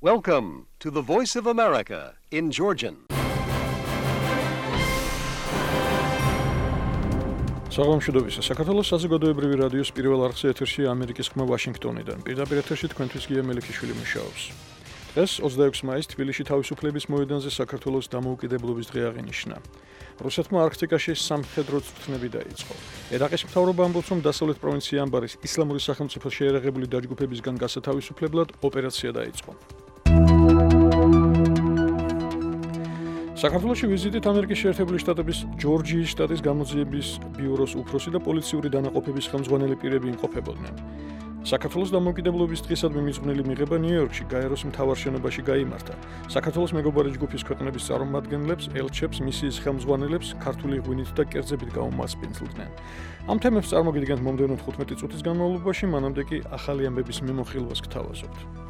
Welcome to the Voice of America in Georgian. საღამოშიდობისა საქართველოს საზოგადოებრივი რადიოს პირველ არხზე ეთერში ამერიკის ხმა ვაშინგტონიდან. პირდაპირ ეთერში თქვენთვის გია მელიქიშვილი მუშაობს. დღეს 26 მაისს თბილისში თავისუფლების მოედანზე საქართველოს დამოუკიდებლობის დღე აღინიშნა. რუსეთმა არქტიკაში სამხედრო წვრთნები დაიწყო. ერაყის მთავრობა ამბობს, რომ დასავლეთ პროვინცია ამბარის ისლამური სახელმწიფოს შეერაღებული დაჯგუფებისგან გასათავისუფლებლად ოპერაცია დაიწყო. საქართველოში ვიზიტით ამერიკის შეერთებული შტატების ჯორჯიის შტატის გამოძიების ბიუროს უფროსი და პოლიციური დანაყოფების ხელმძღვანელი პირები იმყოფებოდნენ. საქართველოს დამოუკიდებლობის დღისადმი მიძღვნილი მიღება ნიუ-იორკში გაეროს მთავარ შენობაში გაიმართა. საქართველოს მეგობარი ჯგუფის ქვეყნების წარმომადგენლებს, ელჩებს, მისიის ხელმძღვანელებს ქართული ღვინით და კერძებით გაუმასპინძლდნენ. ამ თემებს წარმოგიდგენთ მომდევნო 15 წუთის განმავლობაში, მანამდე კი ახალი ამბების მიმოხილვას გთავაზობთ.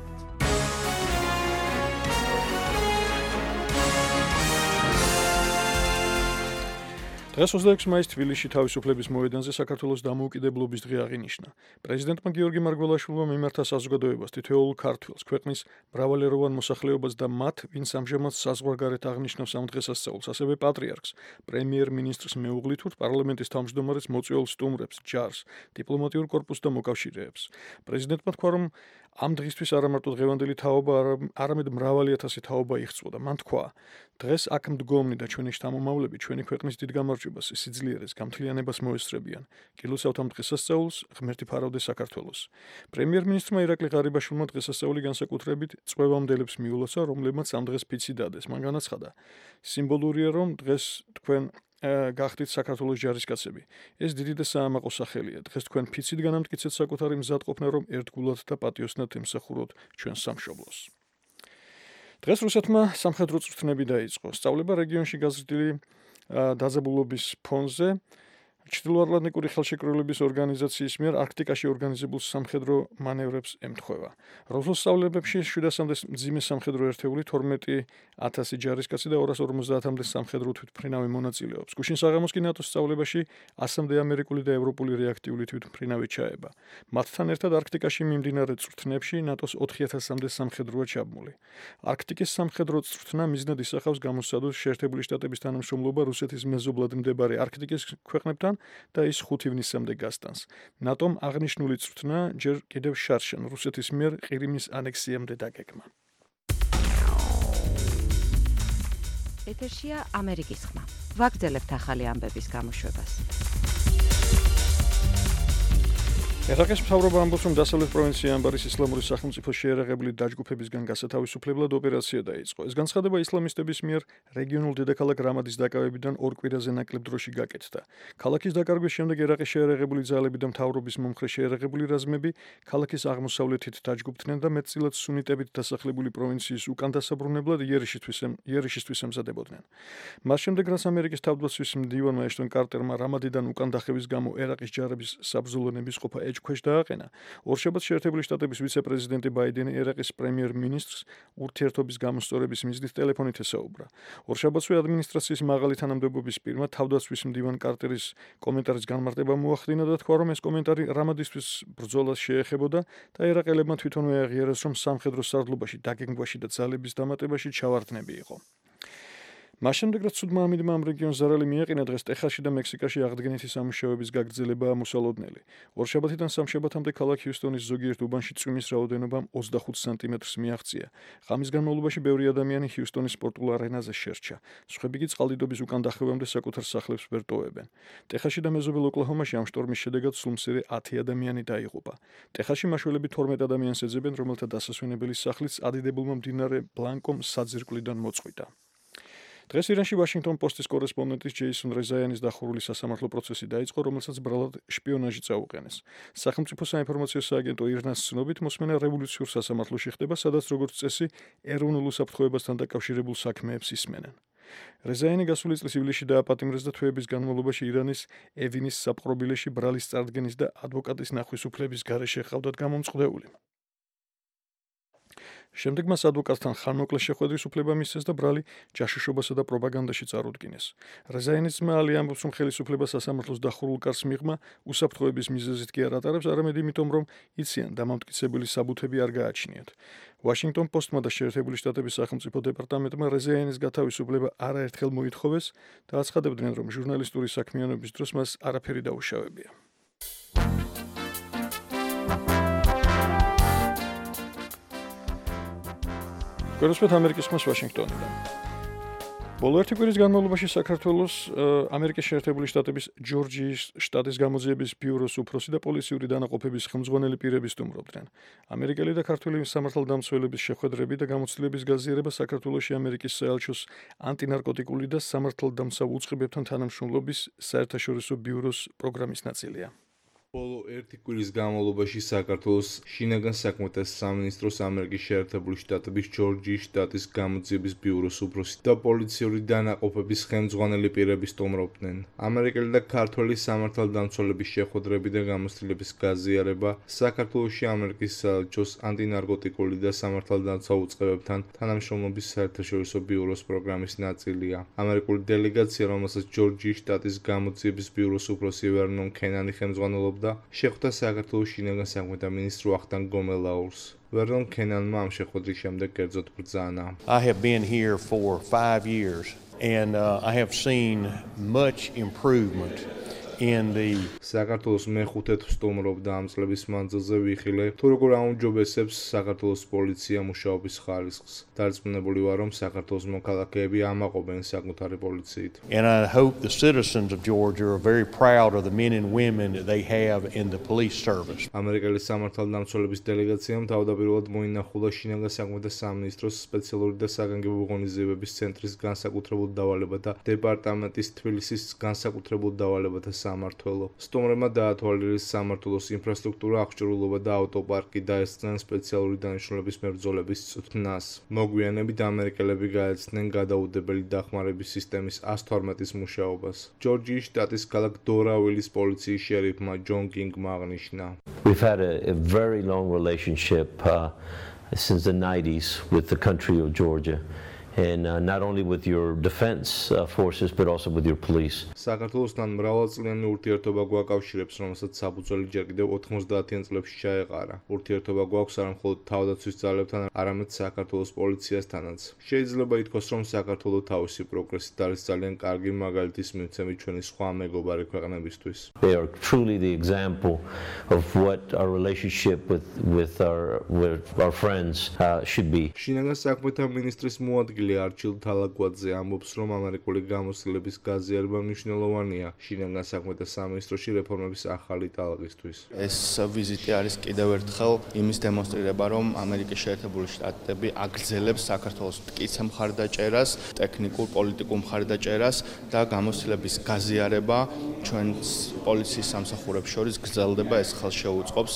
დღეს 26 მაისს თბილისში თავისუფლების მოედანზე საქართველოს დამოუკიდებლობის დღე აღინიშნა. პრეზიდენტმა გიორგი მარგველაშვილმა მიმართა საზოგადოებას თითოეულ ქართველს, ქვეყნის მრავალეროვან მოსახლეობას და მათ, ვინც ამჟამად საზღვარგარეთ აღნიშნავს ამ დღესასწაულს, ასევე პატრიარქს, პრემიერ-მინისტრს მეუღლითურთ, პარლამენტის თავმჯდომარეს მოწვეულ სტუმრებს, ჯარს, დიპლომატიურ კორპუსს და მოკავშირეებს. პრეზიდენტმა თქვა, რომ ამ დღისთვის არა მარტო დღევანდელი თაობა, არამედ მრავალი ათასი თაობა იღვწოდა. მან თქვა, დღეს აქ მდგომნი და ჩვენი შთამომავლები ჩვენი ქვეყნის დიდ გამარჯვებას, სიძლიერეს, გამთლიანებას მოესწრებიან. გილოცავთ ამ დღესასწაულს, ღმერთი ფარავდე საქართველოს. პრემიერ-მინისტრმა ირაკლი ღარიბაშვილმა დღესასწაული განსაკუთრებით წვევამდელებს მიულოცა, რომლებმაც ამ დღეს ფიცი დადეს. მან განაცხადა, სიმბოლურია, რომ დღეს თქვენ გახდით საქართველოს ჯარისკაცები. ეს დიდი და საამაყო სახელია. დღეს თქვენ ფიცით განამტკიცეთ საკუთარი მზადყოფნა, რომ ერთგულად და პატიოსნად ემსახუროთ ჩვენ სამშობლოს. დღეს რუსეთმა სამხედრო წვრთნები დაიწყო. სწავლება რეგიონში გაზრდილი დაძაბულობის ფონზე ჩრდილოატლანტიკური ხელშეკრულების ორგანიზაციის მიერ არქტიკაში ორგანიზებულ სამხედრო მანევრებს ემთხვევა. რუსულ სწავლებებში 700-მდე მძიმე სამხედრო ერთეული, 12,000 ჯარისკაცი და 250-მდე სამხედრო თვითმფრინავი მონაწილეობს. გუშინ საღამოს კი ნატოს სწავლებაში 100-მდე ამერიკული და ევროპული რეაქტიული თვითმფრინავი ჩაება. მათთან ერთად არქტიკაში მიმდინარე წვრთნებში ნატოს 4,000-მდე სამხედროა ჩაბმული. არქტიკის სამხედრო წვრთნა მიზნად ისახავს გამოსცადოს შეერთებული შტატების თანამშრომლობა რუსეთის მეზობლად მდებარე არქტიკის ქვეყნებთან და ის 5 ივნისამდე გასტანს. ნატომ აღნიშნული წვრთნა ჯერ კიდევ შარშან რუსეთის მიერ ყირიმის ანექსიამდე დაგეგმა. ეთერშია ამერიკის ხმა. ვაგრძელებთ ახალი ამბების გამოშვებას. ერაყის მთავრობა ამბობს, რომ დასავლეთ პროვინცია ამბარის ისლამური სახელმწიფოს შეერაღებული დაჯგუფებისგან გასათავისუფლებლად ოპერაცია დაიწყო. ეს განცხადება ისლამისტების მიერ რეგიონულ დედაქალაქ რამადის დაკავებიდან ორ კვირაზე ნაკლებ დროში გაკეთდა. ქალაქის დაკარგვის შემდეგ ერაყის შეერაღებული ძალები და მთავრობის მომხრე შეერაღებული რაზმები ქალაქის აღმოსავლეთით დაჯგუფდნენ და მეტწილად სუნიტებით დასახლებული პროვინციის უკან დასაბრუნებლად იერიშისთვის ემზადებოდნენ. მას შემდეგ, რაც ამერიკის თავდაცვის მდივანმა ეშტონ კარტერმა რამადიდან უკან დახევის გამო ერაყის ჯარების საბრძოლო ნებისყოფა ეჭქვეშ დააყენა, ორშაბათს შეერთებული შტატების ვიცე-პრეზიდენტი ბაიდენი ერაყის პრემიერ-მინისტრს ურთიერთობის გამოსწორების მიზნით ტელეფონით ესაუბრა. ორშაბათსვე ადმინისტრაციის მაღალი თანამდებობის პირმა თავდაცვის მდივან კარტერის კომენტარის განმარტება მოახდინა და თქვა, რომ ეს კომენტარი რამადისთვის ბრძოლას შეეხებოდა და ერაყელებმა თვითონვე აღიარეს, რომ სამხედრო სარდლობაში, დაგეგმვაში და ძალების დამატებაში ჩავარდნები იყო. მას შემდეგ, რაც ცუდმა ამინდმა ამ რეგიონს ზარალი მიაყენა, დღეს ტეხასში და მექსიკაში აღდგენითი სამუშაოების გაგრძელებაა მოსალოდნელი. ორშაბათიდან სამშაბათამდე ქალაქ ჰიუსტონის ზოგიერთ უბანში წვიმის რაოდენობამ 25 სანტიმეტრს მიაღწია. ღამის განმავლობაში ბევრი ადამიანი ჰიუსტონის სპორტულ არენაზე შერჩა. სხვები კი წყალდიდობის უკან დახევამდე საკუთარ სახლებს ვერ ტოვებენ. ტეხასში და მეზობელ ოკლაჰომაში ამ შტორმის შედეგად სულ მცირე 10 ადამიანი დაიღუპა. ტეხასში მაშველები 12 ადამიანს ეძებენ, რომელთა დასასვენებელი სახლიც ადიდებულმა მდინარე ბლანკომ საძირკვლიდან მოწყვიტა. დღეს ირანში ვაშინგტონ პოსტის კორესპონდენტის ჯეისონ რეზაიანის დახურული სასამართლო პროცესი დაიწყო, რომელსაც ბრალად შპიონაჟი წაუყენეს. სახელმწიფო საინფორმაციო სააგენტო ირნას ცნობით, მოსმენა რევოლუციურ სასამართლოში ხდება, სადაც როგორც წესი ეროვნულ უსაფრთხოებასთან დაკავშირებულ საქმეებს ისმენენ. რეზაიანი გასული წლის ივლისში დააპატიმრეს და თვეების განმავლობაში ირანის ევინის საპყრობილეში ბრალის წარდგენის და ადვოკატის ნახვის უფლების გარეშე ჰყავდათ გამომწყდეული. შემდეგ მას ადვოკატთან ხანმოკლე შეხვედრის უფლება მისცეს და ბრალი ჯაშუშობასა და პროპაგანდაში წარუდგინეს. რეზაინის ძმა ალი ამბობს, რომ ხელისუფლება სასამართლოს დახურულ კარს მიღმა უსაფრთხოების მიზეზით კი არ ატარებს, არამედ იმიტომ, რომ იციან დამამტკიცებელი საბუთები არ გააჩნიათ. Washington Post-მა და შეერთებული შტატების სახელმწიფო დეპარტამენტმა რეზაინის გათავისუფლება არაერთხელ მოითხოვეს და აცხადებდნენ, რომ ჟურნალისტური საქმიანობის დროს მას არაფერი დაუშავებია. Გეროსპეთ ამერიკის ხმას ვაშინგტონიდან. ბოლო ერთი კვირის განმავლობაში საქართველოს ამერიკის შეერთებული შტატების ჯორჯიის შტატის გამოძიების ბიუროს უფროსი და პოლიციური დანაყოფების ხელმძღვანელი პირები სტუმრობდნენ. ამერიკელი და ქართული სამართალდამცველების შეხვედრები და გამოცდილების გაზიარება საქართველოში ამერიკის საელჩოს ანტინარკოტიკული და სამართალდამცავ უწყებებთან თანამშრომლობის საერთაშორისო ბიუროს პროგრამის ნაწილია. ბოლო ერთი კვირის განმავლობაში საქართველოს შინაგან საქმეთა სამინისტროს ამერიკის შეერთებული შტატების ჯორჯიის შტატის გამოძიების ბიუროს უფროსი და პოლიციური დანაყოფების ხელმძღვანელი პირები სტუმრობდნენ. ამერიკელი და ქართველი სამართალდამცველების შეხვედრები და გამოცდილების გაზიარება საქართველოში ამერიკის საელჩოს ანტინარკოტიკული და სამართალდამცავ უწყებებთან თანამშრომლობის საერთაშორისო ბიუროს პროგრამის ნაწილია. ამერიკული დელეგაცია, რომელსაც ჯორჯიის შტატის გამოძიების ბიუროს უფროსი ვერნონ კენანი ხელმძღვანელობდა, შეხვდა საქართველოს შინაგან საქმეთა მინისტრ ვახტანგ გომელაურს. ვერნონ კენანმა ამ შეხვედრის შემდეგ კერძოდ ბრძანა. I have been here for 5 years and I have seen much improvement in the საქართველოს მეხუთე სტუმრობდა ამ წლების მანძილზე ვიხილე თუ როგორ აუმჯობესებს საქართველოს პოლიცია მუშაობის ხარისხს. დარწმუნებული ვარ, რომ საქართველოს მოქალაქეები ამაყობენ საკუთარი პოლიციით. And I hope the citizens of Georgia are very proud of the men and women that they have in the police service. ამერიკელი სამართალდამცველების დელეგაციამ თავდაპირველად მოინახულა შინაგან საქმეთა სამინისტროს სპეციალური და საგანგებო ღონისძიებების ცენტრის განსაკუთრებულ დავალებათა დეპარტამენტის თბილისის განსაკუთრებულ დავალებათა სამმართველო. სტუმრებმა დაათვალიერეს სამმართველოს ინფრასტრუქტურა, აღჭურვილობა და ავტოპარკი დაესწრნენ სპეციალური დანიშნულების მებრძოლების წვრთნას. მოგვიანებით ამერიკელები გაეცდნენ გადაუდებელი დახმარების სისტემის 112-ის მუშაობას. ჯორჯიის შტატის ქალაქ დორავილის პოლიციის შერიფმა ჯონ კინგმა აღნიშნა. We've had a very long relationship since the 90s with the country of Georgia. And not only with your defense forces, but also with your police. საქართველოსთან მრავალწლიანი ურთიერთობა გვაკავშირებს, რომელსაც საფუძველი ჯერ კიდევ 90-იან წლებში ჩაეყარა. ურთიერთობა გვაქვს არა მხოლოდ თავდაცვის ძალებთან, არამედ საქართველოს პოლიციასთანაც. შეიძლება ითქვას, რომ საქართველო თავისი პროგრესით არის ძალიან კარგი მაგალითის მიმცემი ჩვენი სხვა მეგობარი ქვეყნებისთვის. They are truly the example of what our relationship with our friends should be. შინაგან საქმეთა მინისტრის მოადგილე არჩილ თალაკვაძე ამბობს, რომ ამერიკული გამოცდილების გაზიარება მნიშვნელოვანია შინაგან საქმეთა სამინისტროში რეფორმების ახალი ტალღისთვის. ეს ვიზიტი არის კიდევ ერთხელ იმის დემონსტრირება, რომ ამერიკის შეერთებული შტატები აგრძელებს საქართველოს მტკიცე მხარდაჭერას, ტექნიკურ პოლიტიკურ მხარდაჭერას და გამოცდილების გაზიარება ჩვენს პოლიციის სამსახურებს შორის გრძელდება. ეს ხელშეუწყობს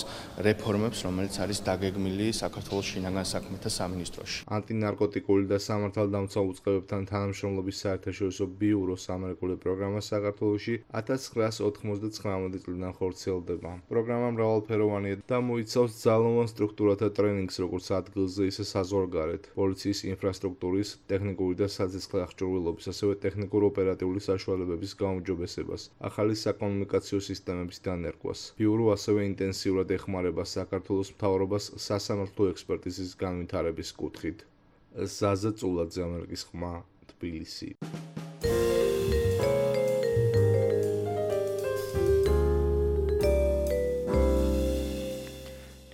რეფორმებს, რომელიც არის დაგეგმილი საქართველოს შინაგან საქმეთა სამინისტროში. ანტინარკოტიკული და სამართალდამცავ უწყებებთან თანამშრომლობის საერთაშორისო ბიუროს ამერიკული პროგრამა საქართველოში 1999 წლიდან ხორციელდება. პროგრამა მრავალფეროვანია და მოიცავს ძალოვან სტრუქტურათა ტრენინგს, როგორც ადგილზე, ისე საზღვარგარეთ, პოლიციის ინფრასტრუქტურის, ტექნიკური და საცეცხლე აღჭურვილობის, ასევე ტექნიკურ-ოპერატიული საშუალებების გაუმჯობესებას, ახალი საკომუნიკაციო სისტემების დანერგვას. ბიურო ასევე ინტენსიურად ეხმარება საქართველოს მთავრობას სასამართლო ექსპერტიზის განვითარების კუთხით. ზაზა წულაძე, ამერიკის ხმა, თბილისი.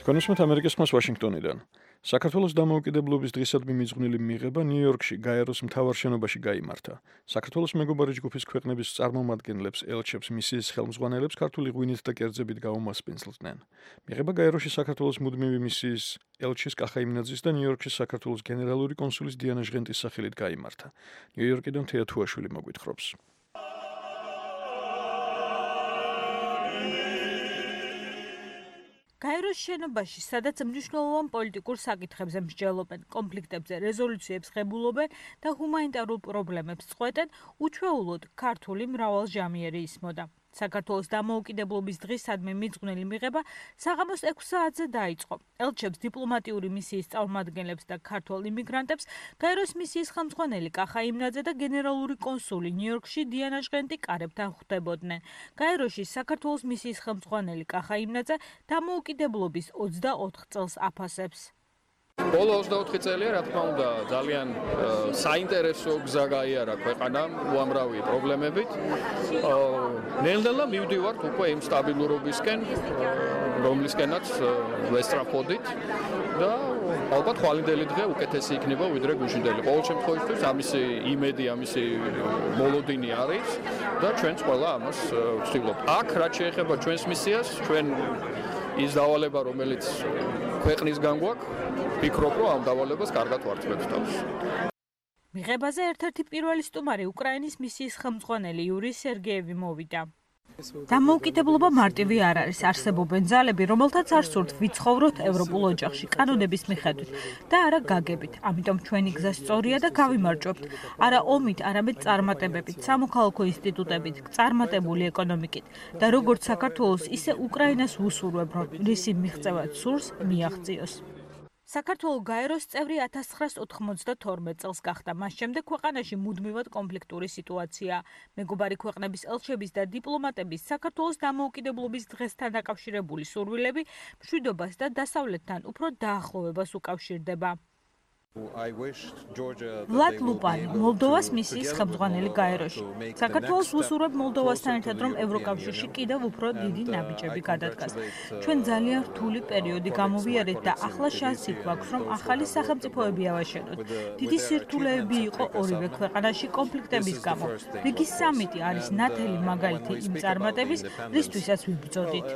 კონსულტანტ ამერიკის ხმას ვაშინგტონიდან. საქართველოს დამოუკიდებლობის დღისადმი მიძღვნილი მიღება ნიუ-იორკში გაეროს მთავარ შენობაში გაიმართა. საქართველოს მეგობარი ჯგუფის ქვეყნების წარმომადგენლებს, ელჩებს, მისიის ხელმძღვანელებს ქართული ღვინით და კერძებით გაუმასპინძლდნენ. მიღება გაეროში საქართველოს მუდმივი მისიის ელჩის კახაიმნაძის და ნიუ-იორკში საქართველოს გენერალური კონსულის დიანა ჟღენტის სახელით გაიმართა. ნიუ-იორკიდან თეა თუაშვილი მოგვითხრობს. გაეროს შენობაში, სადაც მნიშვნელოვან პოლიტიკურ საკითხებზე მსჯელობენ, კონფლიქტებზე რეზოლუციებს ღებულობენ და ჰუმანიტარულ პრობლემებს წყვეტენ, უჩვეულოდ ქართული მრავალჟამიერი ისმოდა. საქართველოს დამოუკიდებლობის დღისადმი მიძღვნილი მიღება საღამოს 6 საათზე დაიწყო. ელჩებს, დიპლომატიური მისიის წარმომადგენლებს და ქართველ იმიგრანტებს გაეროს მისიის ხელმძღვანელი კახა იმნაძე და გენერალური კონსული ნიუ-იორკში დიანა ჟღენტი კარებთან ხვდებოდნენ. გაეროში საქართველოს მისიის ხელმძღვანელი კახა იმნაძე დამოუკიდებლობის 24 წელს აფასებს. ბოლო 24 წელია, რა თქმა უნდა, ძალიან საინტერესო გზა გაიარა ქვეყანამ უამრავი პრობლემებით. ნელ-ნელა მივდივართ უკვე იმ სტაბილურობისკენ, რომლისკენაც ვესწრაფოდით და ალბათ ხვალინდელი დღე უკეთესი იქნება ვიდრე გუშინდელი. ყოველ შემთხვევაში ამისი იმედი, ამისი მოლოდინი არის და ჩვენც ყველა ამას ვცდილობთ. აქ რაც შეეხება ჩვენს მისიას, ჩვენ ის დავალება, რომელიც ქვეყნისგან გვაქვს, ვფიქრობ, რომ ამ დავალებას კარგად ვარწმებთ თავს. მიღებაზე ერთ-ერთი პირველი სტუმარი უკრაინის მისიის ხელმძღვანელი იური სერგეევი მოვიდა. დამოუკიდებლობა მარტივი არ არის, არსებობენ ძალები, რომელთაც არ სურთ ვიცხოვროთ ევროპულ ოჯახში, კანონების მიხედვით და არა გაგებით. ამიტომ ჩვენი გზა სწორია და გავიმარჯვებთ. არა ომით, არამედ წარმატებებით, სამოქალაქო ინსტიტუტებით, წარმატებული ეკონომიკით და როგორც საქართველოს, ისე უკრაინას ვუსურვებ, რომ რისი მიღწევაც სურს, მიაღწიოს. საქართველო გაეროს წევრი 1992 წელს გახდა. მას შემდეგ ქვეყანაში მუდმივად კონფლიქტური სიტუაცია. მეგობარი ქვეყნების ელჩების და დიპლომატების საქართველოს დამოუკიდებლობის დღესთან დაკავშირებული სურვილები მშვიდობას და დასავლეთთან უფრო დაახლოვებას უკავშირდება. ვლად ლუპანი, მოლდოვას მისიის ხელმძღვანელი გაეროში. საქართველოს ვუსურვებ მოლდოვასთან ერთად, რომ ევროკავშირში კიდევ უფრო დიდი ნაბიჯები გადადგას. ჩვენ ძალიან რთული პერიოდი გამოვიარეთ და ახლა შანსი გვაქვს, რომ ახალი სახელმწიფოები ავაშენოთ. დიდი სირთულეები იყო ორივე ქვეყანაში კონფლიქტების გამო. რიგი სამიტი არის ნათელი მაგალითი იმ წარმატების, რისთვისაც ვიბრძოდით.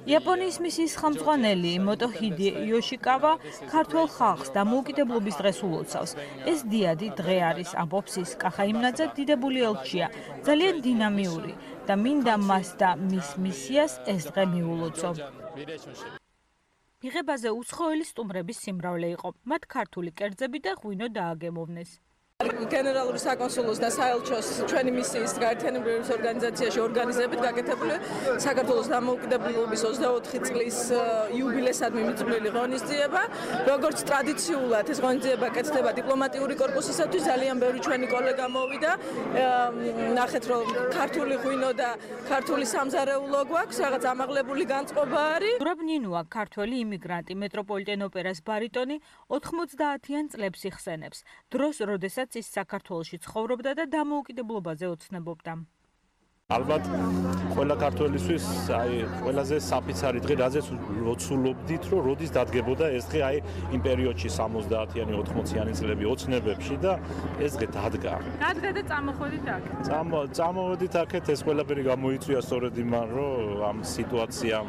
იაპონიის მისიის ხელმძღვანელი მოტოჰიდი იოშიკავა ქართველ ხალხს დამოუკიდებლობის დღეს ულოცავს. ეს დიადი დღე არის, ამბობს ის. კახა იმნაძე დიდებული ელჩია, ძალიან დინამიური და მინდა მას და მის მისიას ეს დღე მიულოცო. მიღებაზე უცხოელი სტუმრების სიმრავლე იყო. მათ ქართული კერძები და ღვინო დააგემოვნეს. გენერალური საკონსულოს და საელჩოს ჩვენი მისიის გაერთიანებების ორგანიზაციაში ორგანიზებით გაკეთებული საქართველოს დამოუკიდებლობის 24 წლის იუბილესადმი მიძღვნილი ღონისძიება. როგორც ტრადიციულად ეს ღონისძიება კეთდება დიპლომატიური კორპუსისათვის, ძალიან ბევრი ჩვენი კოლეგა მოვიდა. ნახეთ, რომ ქართული ღვინო და ქართული სამზარეულო გვაქვს, რაღაც ამაღლებული განწყობა არის. ზურაბ ნინუა, ქართველი იმიგრანტი, მეტროპოლიტენ ოპერას ბარიტონი 90-იან წლებს იხსენებს. დროს, როდესაც ის საქართველოში ცხოვრობდა და დამოუკიდებლობაზე ოცნებობდა. ალბათ ყველა ქართველისთვის ყველაზე საფიცარი დღე, რაზეც ვოცულობდით, რომ როდის დადგებოდა ეს დღე იმ პერიოდში 70-იანი 80-იანი წლები ოცნებებში და ეს დღე დადგა. დადგა და წამოხვედით აქ. წამოვედით აქეთ, ეს ყველაფერი გამოიწვია სწორედ იმან, რომ ამ სიტუაციამ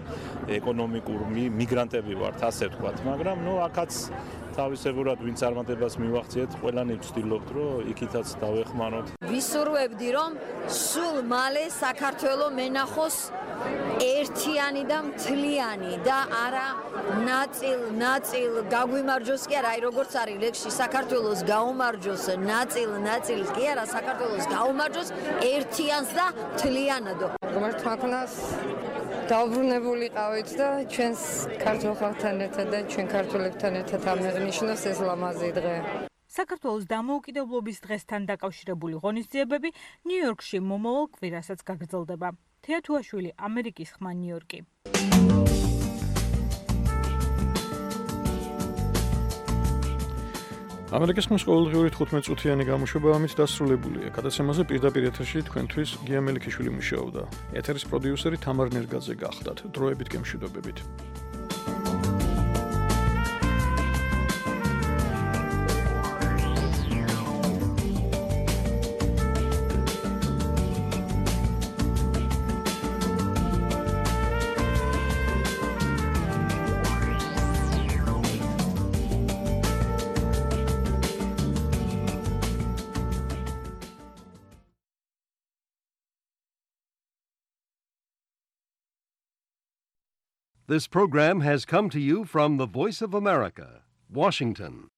ეკონომიკურ მიგრანტები ვართ, ასე ვთქვათ, მაგრამ აქაც თავისებურად ვინც წარმატებას მივახციეთ, ყველანი ვცდილობთ, რომ იქითაც დავეხმაროთ. ვისურვებდი, რომ სულ მალე საქართველოს მენახოს ერთიანი და მთლიანი და არა ნაწილ გაგვიმარჯოს კი არა, როგორც არის ლექსში საქართველოს გაუმარჯოს ნაწილ კი არა, საქართველოს გაუმარჯოს ერთიანს და მთლიანად. მართლაც დაუბრუნებულიყავით და ჩვენს ქართულ ხალხთან ერთად და ჩვენ ქართველებთან ერთად ამეღნიშნოს ეს ლამაზი დღე. საქართველოს დამოუკიდებლობის დღესთან დაკავშირებული ღონისძიებები ნიუ-იორკში მომავალ კვირასაც გაგრძელდება. თეა თუაშვილი, ამერიკის ხმა, ნიუ-იორკი. ამერიკის ხმის ყოველდღიური 15 წუთიანი გამოშვება ამით დასრულებულია. გადაცემაზე პირდაპირ ეთერში თქვენთვის გია მელიქიშვილი მუშაობდა. ეთერის პროდიუსერი თამარ ნერგაძე გახდათ. დროებით გემშვიდობებით. This program has come to you from the Voice of America, Washington.